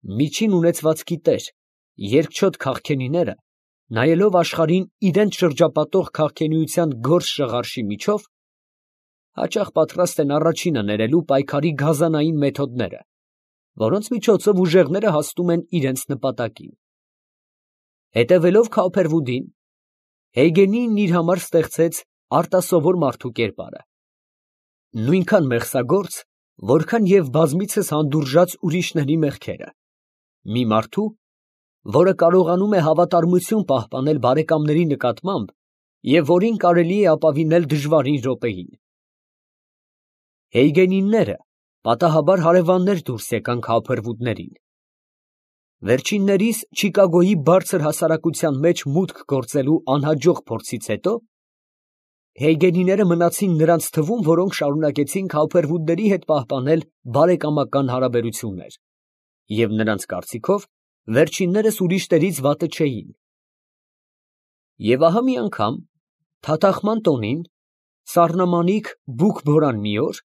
Միջին ունեցվածքի տեր, երկչոտ քաղքենիները, նայելով աշխարհին իրենց շրջապատող քաղքենիության գորշ շղարշի միջով, հաճախ պատրաստ են առաջինը ներելու պայքարի գազանային մեթոդները, որոնց միջոցով ուժեղները հասնում են իրենց նպատակին։ Հետևելով Քոփերվուդին, Հեյգենին իր համար ստեղծեց արտասովոր մարդու կերպարը, նույնքան մեղսագործ, որքան և բազմիցս հանդուրժած ուրիշների մեղքերը, մի մարդու, որը կարողանում է հավատարմություն պահպանել բարեկամների նկատմամբ և որին կարելի է ապավինել դժվարին րոպեին։ Հեյգենինները պատահաբար հարևաններ դուրս եկան Քոփերվուդներին։ Վերջիններիս Չիկագոյի բարձր հասարակության մեջ մուտք գործելու անհաջող փորձից հետո Հեյգենիները մնացին նրանց թվում, որոնք շարունակեցին Քոփերվուդների հետ պահպանել բարեկամական հարաբերություններ, և նրանց կարծիքով վերջիններս ուրիշներից վատը չէին։ Եվ ահա մի անգամ, թաթախման տոնին, սառնամանիք բուք֊բորան մի օր,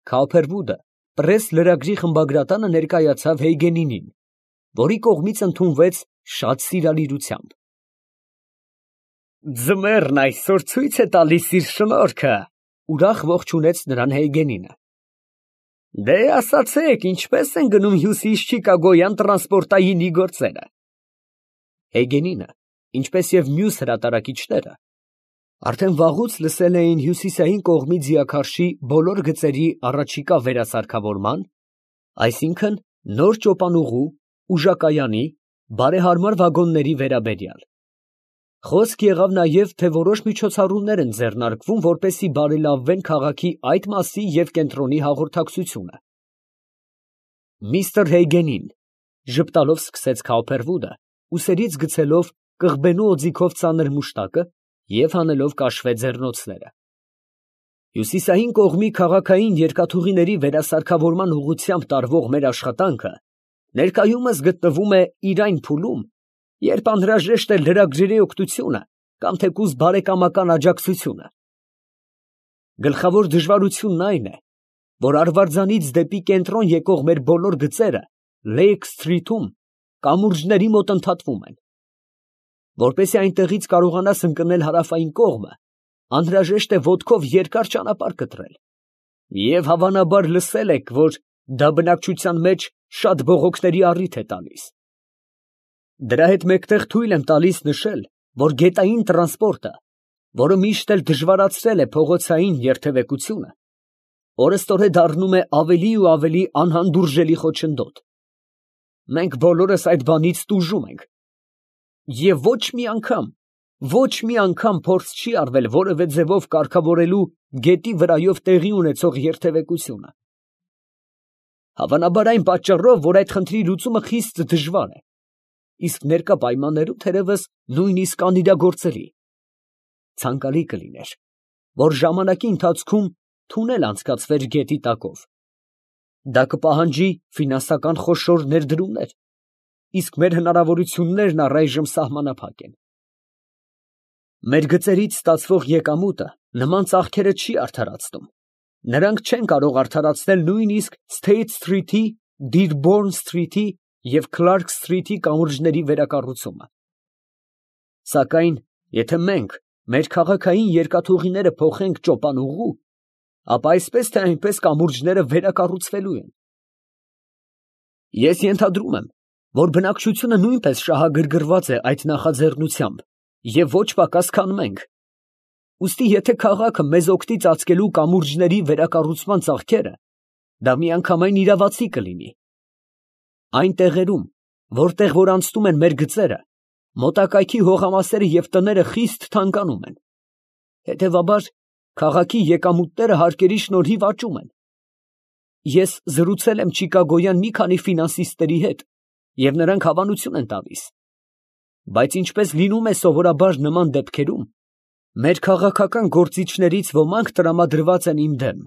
Քոփերվուդը պրես լրագրի խմբագրատանը ներկայացավ Հեյգենինին, որի կողմից ընդունվեց շատ սիրալիրությամբ։ «Ձմեռն այսօր ցույց է տալիս իր շնորհքը», ուրախ ողջունեց նրան Հեյգենինը։ «Դե ասացեք, ինչպես են գնում հյուսիսչիկագոյան տրանսպորտայինի գործերը»։ Հեյգենինը, ինչպես և մյուս հրատարակիչները, արդեն վաղուց լսել էին հյուսիսային կողմի ձիաքարշի բոլոր գծերի առաջիկա վերասարքավորման, այսինքն նոր ճոպանուղու, ուժակայանի, բարեհարմար վագոնների վերաբերյալ։ Խոսք եղավ նաև, թե որոշ միջոցառումներ են ձեռնարկվում, որպեսզի բարելավվեն քաղաքի այդ մասի և կենտրոնի հաղորդակցությունը։ Միստր Հեյգենին ժպտալով սկսեց Քոփերվուդը, ուսերից գցելով կղբենու օձիքով ծանր մուշտակը և հանելով կաշվե ձեռնոցները։ Հյուսիսային կողմի քաղաքային երկաթուղիների վերասարքավորման ուղղությամբ տարվող մեր աշխատանքը ներկայումս գտնվում է իր այն փուլում, երբ անհրաժեշտ է լրագրերի օգնությունը կամ թեկուզ բարեկամական աջակցությունը։ Գլխավոր դժվարությունն այն է, որ Արվարձանից դեպի կենտրոն եկող մեր բոլոր գծերը Լեյք Սթրիթում կամուրջների մոտ ընդհատվում են։ Որպեսզի այնտեղից կարողանաս ընկնել հարավային կողմը, անհրաժեշտ է ոտքով երկար ճանապարհ կտրել, և հավանաբար լսել եք, որ դա բնակչության մեջ շատ բողոքների առիթ է տալիս։ Դրա հետ մեկտեղ թույլ եմ տալիս նշել, որ գետային տրանսպորտը, որը միշտ էլ դժվարացրել է փողոցային երթևեկությունը, օրըստօրե դառնում է ավելի ու ավելի անհանդուրժելի խոչընդոտ։ Մենք բոլորս այդ բանից տուժում ենք, և ոչ մի անգամ փորձ չի արվել որևէ ձևով կարգավորելու գետի վրայով տեղի ունեցող երթևեկությունը։ Հավանաբար այն պատճառով, որ այդ խնդրի լուծումը խիստ դժվար է, իսկ ներկա պայմաններում թերևս նույնիսկ անիրագործելի։ Ցանկալի կլիներ, որ ժամանակի ընթացքում թունել անցկացվեր գետի տակով։ Դա կպահանջի ֆինանսական խոշոր ներդրումներ, իսկ մեր հնարավորություններն առայժմ սահմանափակ են։ Մեր գծերից ստացվող եկամուտը նման ծախքերը չի արդարացնում. նրանք չեն կարող արդարացնել նույնիսկ Սթեյթ Սթրիթի, Դիրբորն Սթրիթի և Քլարք Սթրիթի կամուրջների վերակառուցումը։ Սակայն, եթե մենք մեր քաղաքային երկաթուղիները փոխենք ճոպանուղու, ապա այսպես թե այնպես կամուրջները վերակառուցվելու են։ Ես ենթադրում եմ, որ բնակչությունը նույնպես շահագրգռված է այդ նախաձեռնությամբ և ոչ պակաս, քան մենք։ Ուստի եթե քաղաքը մեզ օգնի ծածկելու կամուրջների վերակառուցման ծախքերը, դա միանգամայն իրավացի կլինի։ Այն տեղերում, որտեղ որ անցնում են մեր գծերը, մոտակայքի հողամասերը և տները խիստ թանկանում են։ Հետևաբար, քաղաքի եկամուտները հարկերի շնորհիվ աճում են։ Ես զրուցել եմ Չիկագոյան մի քանի ֆինանսիստների հետ, և նրանք հավանություն են տալիս։ Բայց ինչպես լինում է սովորաբար նման դեպքերում, մեր քաղաքական գործիչներից ոմանք տրամադրված են իմ դեմ։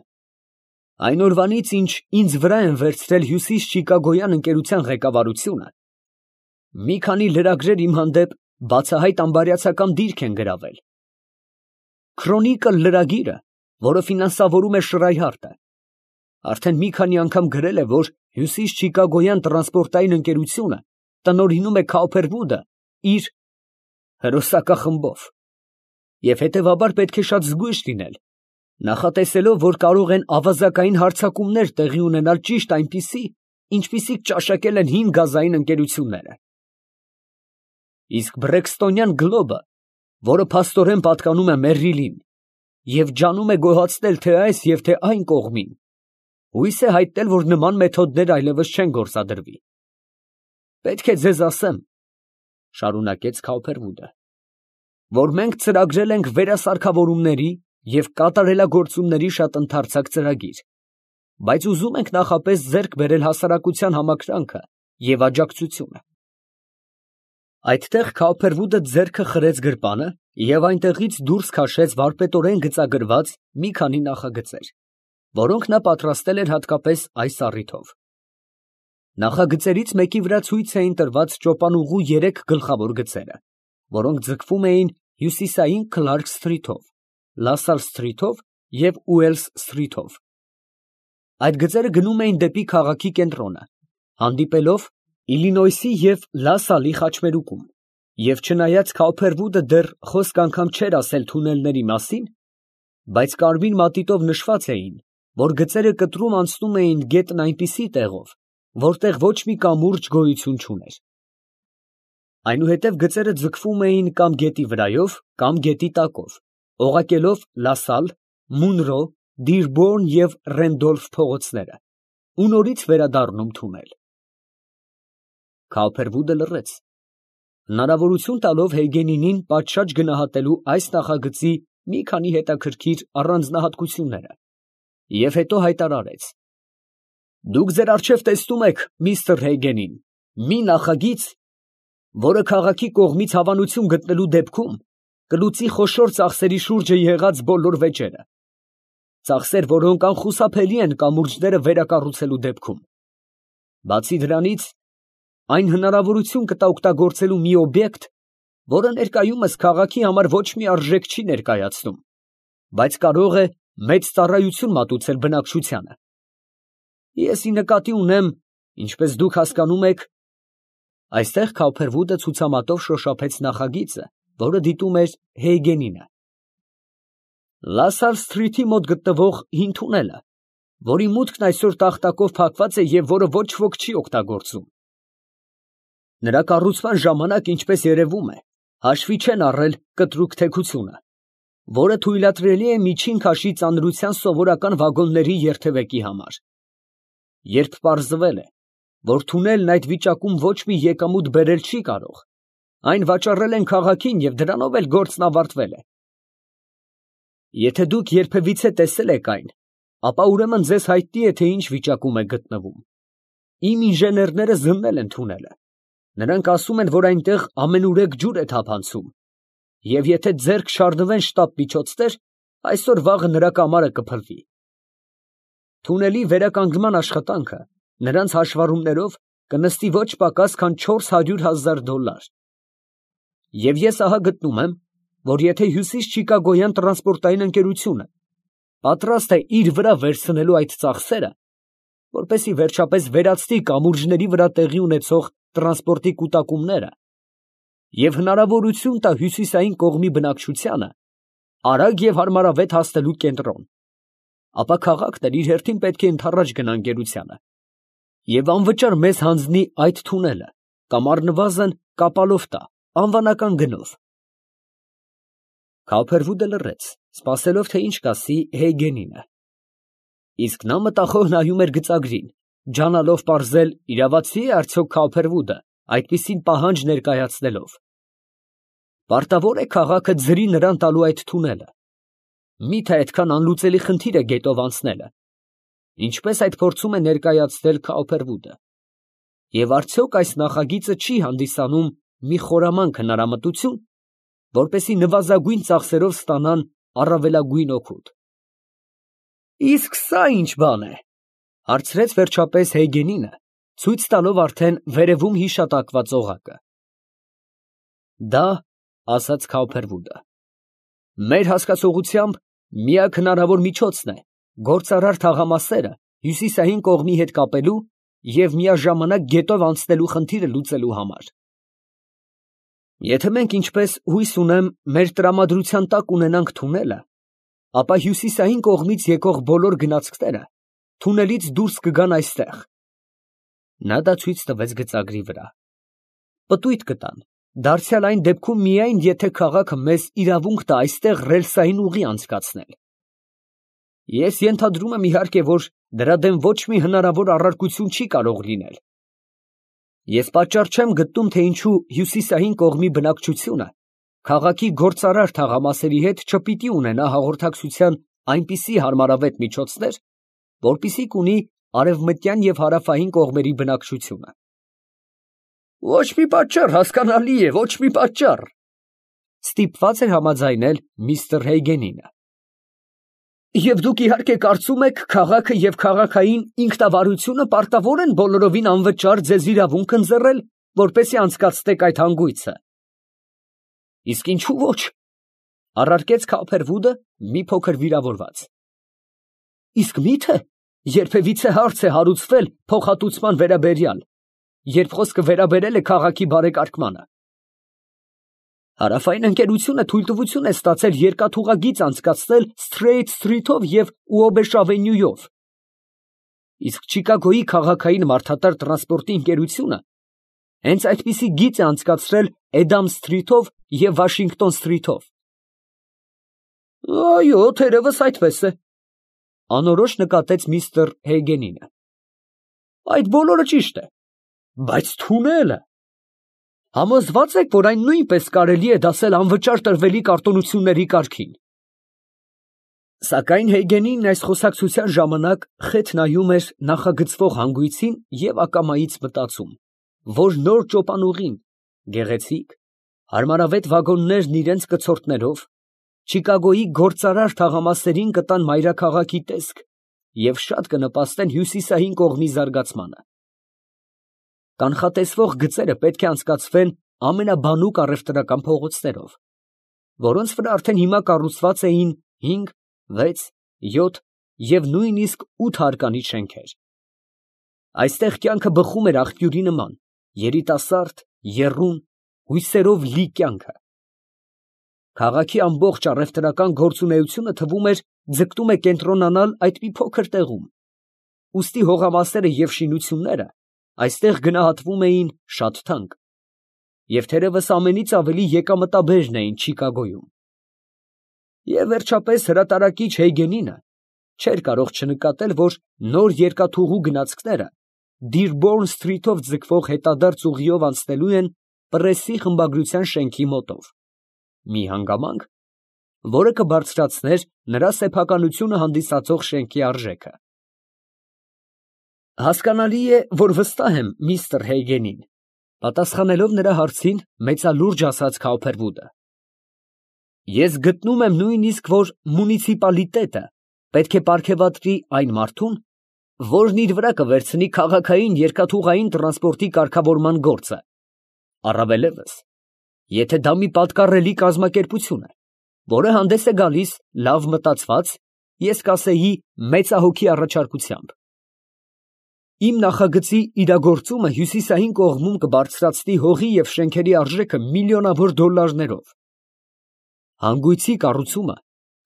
Այն օրվանից, ինչ ինձ վրա են վերցրել Հյուսիսչիկագոյան ընկերության ղեկավարությունը, մի քանի լրագրեր իմ հանդեպ բացահայտ անբարյացակամ դիրք են գրավել։ Քրոնիկլ լրագիրը, որը ֆինանսավորում է Շրայհարտը, արդեն մի քանի անգամ գրել է, որ Հյուսիս Չիկագոյան տրանսպորտային ընկերությունը տնօրինում է Քաուփերվուդը իր հրոսակախմբով, և հետևաբար պետք է շատ զգույշ լինել, նախատեսելով, որ կարող են ավազակային հարձակումներ տեղի ունենալ ճիշտ այնպիսի, ինչպիսիք ճաշակել են հին գազային ընկերությունները։ Իսկ Բրեքստոնյան գլոբը, որը փաստորեն պատկանում է Մերրիլին, և ջանում է գոհացնել թե այս և թե այն կողմին, հույս է հայտնել, որ նման մեթոդներ այլևս չեն գործադրվի։ Պետք է ձեզ ասեմ, ֊ շարունակեց Քաուփերվուդը, որ մենք ծրագրել ենք վերասարքավորումների և կատարելագործումների շատ ընդարձակ ծրագիր, բայց ուզում ենք նախապես ձեռք բերել հասարակության համակրանքը և աջակցությունը։ Այդտեղ Քաուփերվուդը ձեռքը խրեց գրպանը և այնտեղից դուրս քաշեց վարպետորեն գծագրված մի քանի նախագծեր, որոնք նա պատրաստել էր հատկապես այս առիթով։ Նախագծերից մեկի վրա ցույց էին տրված ճոպանուղու 3 գլխավոր գծերը, որոնք ձգվում էին հյուսիսային Քլարք սթրիթով, Լասալ սթրիթով և Ուելս սթրիթով։ Այդ գծերը գնում էին դեպի քաղաքի կենտրոնը, հանդիպելով Իլինոյսի և Լասալի խաչմերուկում, և չնայած Քաուփերվուդը դեռ խոսք անգամ չէր ասել թունելների մասին, բայց կարմիր մատիտով նշված էին, որ գծերը կտրում անցնում էին գետն այնպիսի տեղով, որտեղ ոչ մի կամուրջ գոյություն չուներ։ Այնուհետև գծերը ձգվում էին կամ գետի վրայով, կամ գետի տակով, օղակելով Լասալ, Մունրո, Դիրբորն և Ռենդոլֆ փողոցները ու նորից վերադառնում թունել։ Քաուփերվուդը լռեց, հնարավորություն տալով Հեյգենինին պատշաճ գնահատելու այս նախագծի մի քանի հետաքրքիր առանձնահատկությունները, և հետո հայտարարեց. «Դուք ձեր առջև տեսնում եք, միստր Հեյգենին, մի նախագիծ, որը քաղաքի կողմից հավանություն գտնելու դեպքում կլուծի խոշոր ծախսերի շուրջը եղած բոլոր վեճերը, ծախսեր, որոնք անխուսափելի են կամուրջները վերակառուցելու դեպքում։ Բացի դրանից, այն հնարավորություն կտա օգտագործելու մի օբյեկտ, որը ներկայումս քաղաքի համար ոչ մի արժեք չի ներկայացնում, բայց կարող է մեծ ծառայություն մատուցել բնակչությանը։ Ես ի նկատի ունեմ, ինչպես դուք հասկանում եք…» Այստեղ Քաուփերվուդը ցուցամատով շոշափեց նախագիծը, որը դիտում էր Հեյգենինը։ «Լասալ սթրիթի մոտ գտնվող հին թունելը, որի մուտքն այսօր տախտակով փակված է և որը ոչ ոք չի օգտագործում։ Նրա կառուցման ժամանակ, ինչպես երևում է, հաշվի չեն առել կտրուկ թեքությունը, որը թույլատրելի է միջին քաշի ծանրության սովորական վագոնների երթևեկի համար։ Երբ պարզվել է, որ թունելն այդ վիճակում ոչ մի եկամուտ բերել չի կարող, այն վաճառել են քաղաքին և դրանով էլ գործն ավարտվել է։ Եթե դուք երբևիցե տեսել եք այն, ապա ուրեմն ձեզ հայտնի է, թե ինչ վիճակում է գտնվում։ Իմ ինժեներները զննել են թունելը, նրանք ասում են, որ այնտեղ ամենուրեք ջուր է թափանցում, և եթե ձեռք շարժվեն շտապ միջոցներ, այսօր֊վաղը նրա կամարը կփլվի։ Թունելի վերականգնման աշխատանքը նրանց հաշվառումներով կնստի ոչ պակաս, քան $400,000։ Եվ ես ահա գտնում եմ, որ եթե Հյուսիս Չիկագոյան տրանսպորտային ընկերությունը պատրաստ է իր վրա վերցնելու այդ ծախսերը, որպեսզի վերջապես վերացնի կամուրջների վրա տեղի ունեցող տրանսպորտի կուտակումները և հնարավորություն տա հյուսիսային կողմի բնակչությանը արագ և հարմարավետ հասնելու կենտրոն, ապա քաղաքն էլ իր հերթին պետք է ընդառաջ գնա ընկերությանը և անվճար մեզ հանձնի այդ թունելը կամ առնվազն կապալով տա անվանական գնով»։ Քաուփերվուդը լռեց, սպասելով, թե ինչ կասի Հեյգենինը։ Իսկ նա մտախոհ նայում էր գծագրին, ջանալով պարզել, իրավացի՞ է արդյոք Քաուփերվուդը այդպիսին պահանջ ներկայացնելով։ Պարտավոր է քաղաքը ձրի նրան տալու այդ թունելը։ Մի՞թե այդքան անլուծելի խնդիր է գետով անցնելը, ինչպես այդ փորձում է ներկայացնել Քաուփերվուդը։ Եվ արդյոք այս նախագիծը չի հանդիսանում մի խորամանկ հնարամտություն, որպեսզի նվազագույն ծախսերով ստանան առավելագույն օգուտ։ «Իսկ սա ի՞նչ բան է, ֊ հարցրեց վերջապես Հեյգենինը, ցույց տալով արդեն վերևում հիշատակված օղակը։ ֊ Դա, ֊ ասաց Քաուփերվուդը, ֊ մեր հասկացողությամբ միակ հնարավոր միջոցն է գործարար թաղամասերը հյուսիսային կողմի հետ կապելու և միաժամանակ գետով անցնելու խնդիրը լուծելու համար։ Եթե մենք, ինչպես հույս ունեմ, մեր տրամադրության տակ ունենանք թունելը, ապա հյուսիսային կողմից եկող բոլոր գնացքները թունելից դուրս կգան այստեղ։ Նա դա ցույց տվեց գծագրի վրա։ Պտույտ կտան, դարձյալ այն դեպքում միայն, եթե քաղաքը մեզ իրավունք տա այստեղ ռելսային ուղի անցկացնել։ Ես ենթադրում եմ, իհարկե, որ դրա դեմ ոչ մի հնարավոր առարկություն չի կարող լինել։ Ես պատճառ չեմ գտնում, թե ինչու հյուսիսային կողմի բնակչությունը քաղաքի գործարար թաղամասերի հետ չպիտի ունենա հաղորդակցության այնպիսի հարմարավետ միջոցներ, որպիսիք ունի արևմտյան և հարավային կողմերի բնակչությունը։ Ոչ մի պատճառ, հասկանալի է, ոչ մի պատճառ, ստիպված էր համաձայնել միստր Հեյգենինը։ Եվ դուք իհարկե կարծում եք, քաղաքը և քաղաքային ինքնավարությունը պարտավոր են բոլորովին անվճար ձեզ իրավունք ընձեռել, որպեսզի անցկացնեք այդ հանգույցը։ Իսկ ինչու ոչ, առարկեց Քոփերվուդը մի փոքր վիրավորված։ Իսկ մի՞թե երբևիցե հարց է հարուցվել փոխհատուցման վերաբերյալ, երբ խոսքը վերաբերել է քաղաքի բարեկարգմանը։ Հարավային ընկերությունը թույլտվություն է ստացել երկաթուղագիծ անցկացնել Սթրեյթ Սթրիթով և Ուոբեշ ավենյուով։ Իսկ Չիկագոյի քաղաքային մարդատար տրանսպորտի ընկերությունը հենց այդպիսի գիծ է անցկացրել Էդամ Սթրիթով և Վաշինգտոն Սթրիթով։ Այո, թերևս այդպես է, անորոշ նկատեց միստր Հեյգենինը։ Այդ բոլորը ճիշտ է, բայց թունելը… Համոզվա՞ծ եք, որ այն նույնպես կարելի է դասել անվճար տրվելի կարտոնությունների կարգին։ Սակայն Հեյգենինն այս խոսակցության ժամանակ խեթ նայում էր նախագծվող հանգույցին և ակամայից մտածում, որ նոր ճոպանուղին, գեղեցիկ, հարմարավետ վագոններն իրենց կցորդներով, Չիկագոյի գործարար թաղամասերին կտան մայրաքաղաքի տեսք և շատ կնպաստեն հյուսիսային կողմի զարգացմանը։ Կանխատեսվող գծերը պետք է անցկացվեն ամենաբանուկ առևտրական փողոցներով, որոնց վրա արդեն հիմա կառուցված էին 5, 6, 7 և նույնիսկ 8 հարկանի շենքեր։ Այստեղ կյանքը բխում էր աղբյուրի նման, երիտասարդ, եռուն, հույսերով լի կյանքը։ Քաղաքի ամբողջ առևտրական գործունեությունը թվում էր ձգտում է կենտրոնանալ այդ մի փոքր տեղում, ուստի հողամասերը և շինությունները այստեղ գնահատվում էին շատ թանկ և թերևս ամենից ավելի եկամտաբերն էին Չիկագոյում։ Եվ վերջապես հրատարակիչ Հեյգենինը չէր կարող չնկատել, որ նոր երկաթուղու գնացքները Դիրբորն Սթրիթով ձգվող հետադարձ ուղիով անցնելու են Պրեսի խմբագրության շենքի մոտով, մի հանգամանք, որը կբարձրացներ նրա սեփականությունը հանդիսացող շենքի արժեքը։ Հասկանալի է, որ վստահ եմ միստր Հեյգենին, պատասխանելով նրա հարցին, մեծալուրջ ասաց Քոփերվուդը։ Ես գտնում եմ նույնիսկ, որ մունիցիպալիտետը պետք է պարգևատրի այն մարդուն, որն իր վրա կվերցնի քաղաքային երկաթուղային տրանսպորտի կարգավորման գործը, առավելևս, եթե դա մի պատկառելի կազմակերպություն է, որը հանդես է գալիս լավ մտածված, ես կասեի մեծահոգի առաջարկությամբ։ Իմ նախագծի իրագործումը հյուսիսային կողմում կբարձրացնի հողի և շենքերի արժեքը միլիոնավոր դոլարներով։ Հանգույցի կառուցումը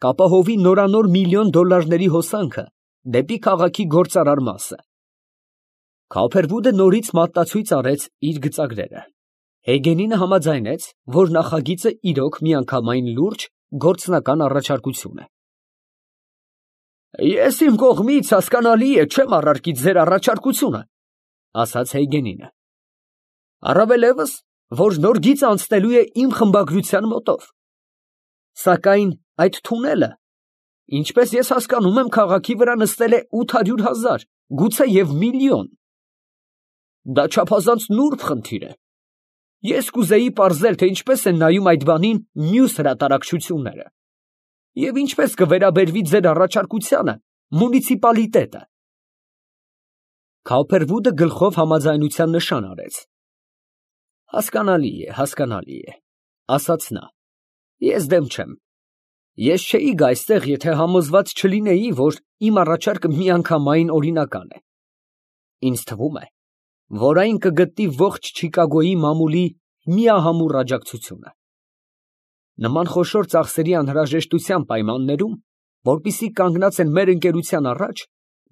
կապահովի նորանոր միլիոն դոլարների հոսանքը դեպի քաղաքի գործարար մասը։ Քոփերվուդը նորից մատնացույց արեց իր գծագրերը։ Հեյգենինը համաձայնեց, որ նախագիծը իրոք միանգամայն լուրջ գործնական առաջարկություն է։ Ես իմ կողմից, հասկանալի է, չեմ առարկի ձեր առաջարկությունը, ասաց Հեյգենինը։ Առավելևս, որ նոր գիծ անցնելու է իմ խմբագրության մոտով։ Սակայն այդ թունելը, ինչպես ես հասկանում եմ, քաղաքի վրա նստել է 800,000, գուցե և միլիոն։ Դա չափազանց նուրբ խնդիր է։ Ես կուզեի պարզել, թե ինչպես են նայում այդ բանին մյուս հրատարակչությունները և ինչպես կվերաբերվի ձեր առաջարկությանը մունիցիպալիտետը։ Քոփերվուդը գլխով համաձայնության նշան արեց։ Հասկանալի է, ասաց նա, ես դեմ չեմ։ Ես չէի գա այստեղ, եթե համոզված չլինեի, որ իմ առաջարկը միանգամայն օրինական է։ Ինձ թվում է, որ այն կգտնի ողջ Չիկագոյի մամուլի միահամուռ աջակցությունը։ Նման խոշոր ծախսերի անհրաժեշտության պայմաններում, որպիսի կանգնած են մեր ընկերության առաջ,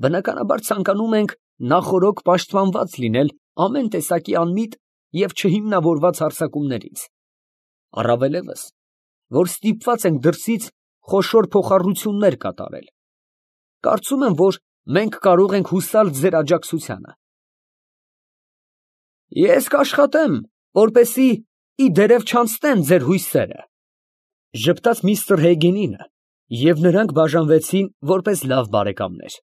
բնականաբար ցանկանում ենք նախօրոք պաշտպանված լինել ամեն տեսակի անմիտ և չհիմնավորված հարձակումներից, առավելևս, որ ստիպված ենք դրսից խոշոր փոխառություններ կատարել։ Կարծում եմ, որ մենք կարող ենք հուսալ ձեր աջակցությանը։ Ես կաշխատեմ, որպեսզի ի դերև չանցնեն ձեր հույսերը, ֊ ժպտաց միստր Հեգինը, և նրանք բաժանվեցին որպես լավ բարեկամներ։